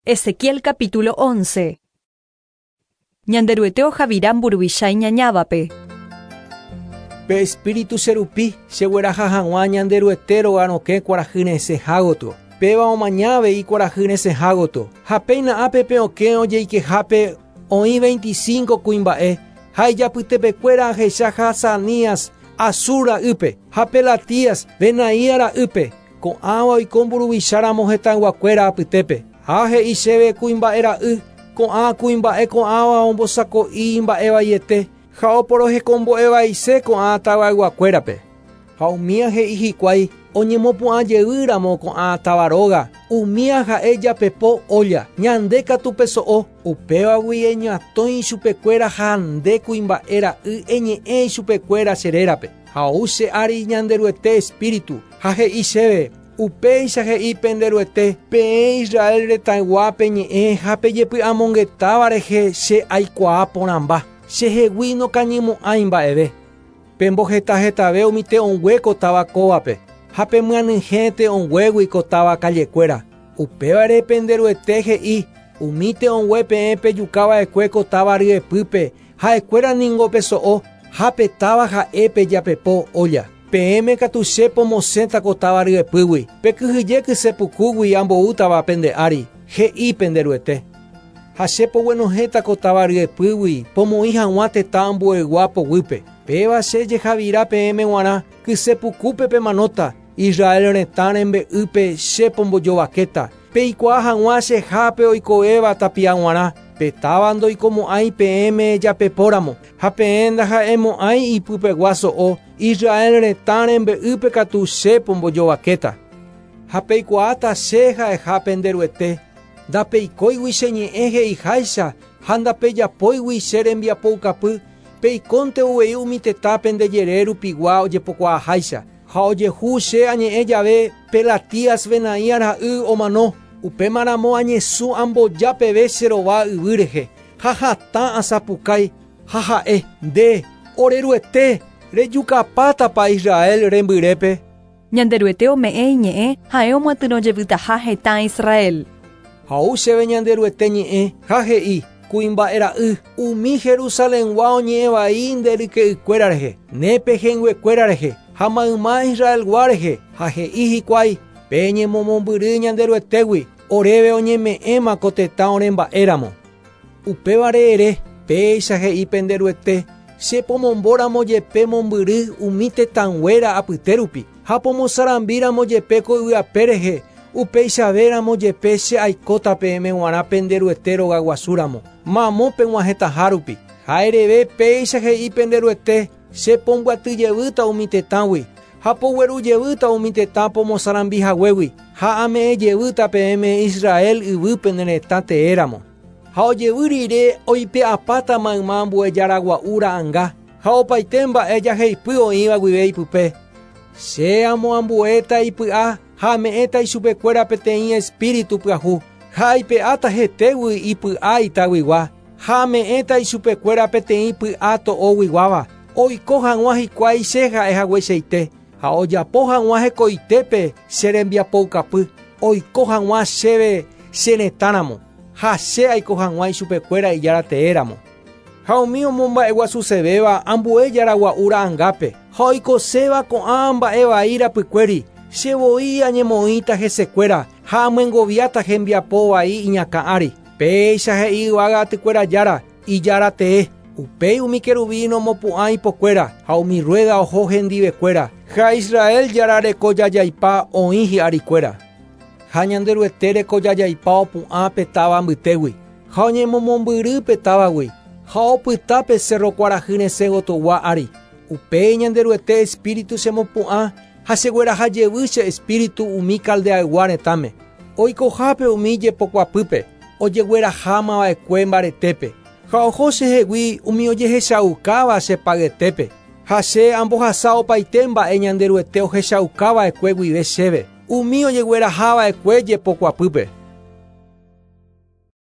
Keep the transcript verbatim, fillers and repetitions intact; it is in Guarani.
Ezequiel capítulo once. Ñanderuete ohavira mburuvicha iñañávape. Pe espíritu cherupi chegueraha hag̃ua Ñanderuete rogarokẽ kuarahy resẽha gotyo. Péva omaña avei kuarahy resẽha gotyo. Ha péina ápe pe okẽ ojeikehápe oĩ veinticinco kuimba'e ha ijapytepekuéra ahecha Hazanías Azur ra'ýpe ha Pelatías Benaía ra'ýpe. Ko'ãva oiko mburuvicháramo hetãyguakuéra apytépe. Ha he'i chéve kuimba'e ra'y, ko'ã kuimba'e ko'ãva ombosako'i mba'evaiete ha oporohekombo'evaise ko'ã tavayguakuérape. Ha umía he'i hikuái oñemopu'ã jeýramo ko'ã tavaróga, umía ha'e japepo olla, ñande katu peso'o, upévagui eñatõi chupekuéra ha nde kuimba'e ra'y eñe'ẽ chupekuéra che rérape. Ha ou che ári Ñanderuete espíritu, ha he'i chéve, upéicha he'i penderuete, peẽ Israel retãyguápe ñe'ẽ ha pejepy'amongetáva rehe che aikuaa porãmba, chehegui nokañymo'ãi mba'eve. Pembohetahetave umi te'õngue ko táva kóvape, ha pemyanyhẽ te'õnguégui ko táva kallekuéra. Upévare penderuete he'i, umi te'õngue peẽ pejukava'ekue ko táva ryepýpe, ha'ekuéra ningo peso'o, ha pe táva ha'e pejapepo olla. Peẽme katu che pomosẽta ko táva ryepýgui, pekyhyje kysepukúgui amboútava pende ári, he'i penderuete. Ha che poguenohẽta ko táva ryepýgui, pomoĩ hag̃ua tetã ambuegua poguýpe. Péva che jehavira peẽme g̃uarã, kysepukúpe pemanóta, Israel retã rembe'ýpe che pombojovakéta. Peikuaa hag̃ua chehápe oikovéva tapia g̃uarã, pe táva ndoikomo'ãi peẽme japepóramo, ha peẽ ndaha'emo'ãi ipypegua so'o, Israel retã rembe'ýpe katu che pombojovakéta. Ha peikuaáta che ha'eha penderuete, ndapeikóigui che ñe'ẽ he'iháicha ha ndapejapóigui che rembiapoukapy, peikónte uvei umi tetã pendejere rupigua ojepokuaaháicha. Ha ojehu che añe'ẽ jave Pelatías Benaía ra'y omano, upémaramo añesũ amboja peve che rova yvy rehe, ha hatã asapukái, ha ha'e, nde, oreruete, rejukapátapa Israel rembyrépe. Ñanderuete ome'ẽ iñe'ẽ ha'e omoatyrõjevytaha hetã Israel. Ha ou chéve Ñanderuete ñe'ẽ ha he'i, kuimba'e ra'y, umi Jerusalengua oñe'ẽvai nde ryke'ykuéra rehe, ne pehẽnguekuéra rehe, ha mayma Israelgua rehe, ha he'i hikuái, peñemomombyry Ñanderuetégui, oréve oñeme'ẽma ko tetã oremba'éramo. Upévare ere, péicha he'i penderuete, che pomombóramo jepe mombyry umi tetãnguéra apytérupi, ha pomosarambíramo jepe ko yvyape rehe, upeichavéramo jepe che aikóta peẽme g̃uarã penderuete rogaguasúramo, mamo peg̃uahẽtaha rupi. Ha ereve péicha he'i penderuete, che pombyatyjevýta umi tetãgui, ha poguerujevýta umi tetã pomosarambihaguégui, ha ame'ẽjevýta peẽme Israel yvy pene retã teéramo. Ha ojevy rire oipe'apáta mayma ambuejaragua'u ra'ãnga, ha opaite mba'e jaheipy oĩva guive ipype. Che amoambuéta ipy'a ha ame'ẽta ichupekuéra peteĩ espíritu pyahu, ha aipe'áta hetégui ipy'a itaguigua, ha ame'ẽta ichupekuéra peteĩ py'a to'oguiguáva, oiko hag̃ua hikuái che ha'ehagueichaite, ha ojapo hag̃ua hekoitépe che rembiapoukapy, oiko hag̃ua chéve che retãramo, ha che aiko hag̃ua ichupekuéra ijára teéramo. Ha umi omomba'eguasusevéva ambue jaragua'u ra'ãngápe, ha oikoséva ko'ã mba'evai rapykuéri, che voi añemoĩta hesekuéra ha amyengoviáta hembiapo vai iñakã ári. Péicha he'i yvága atykuéra jára, ijára tee. Upéi umi querubín omopu'ã ipokuéra ha umi rueda oho hendivekuéra. Ha Israel jára rekojajaipa oĩ hi'arikuéra. Ha Ñanderuete rekojajaipa opu'ã pe táva mbytégui, ha oñemomombyry pe távagui, ha opyta pe cerro kuarahy resẽ gotyogua ári. Upéi Ñanderuete espíritu chemopu'ã ha chegueraha jevy che espíritu umi Caldeaygua retãme. Oikohápe umi jepokuapýpe, ojeguerahámava'ekue mbaretépe. Ha oho chehegui umi ojehechaukáva che payetépe. Ha che ambohasa opaite mba'e Ñanderuete ohechaukava'ekue guive chéve, umi ojeguerahava'ekue jepokuapýpe.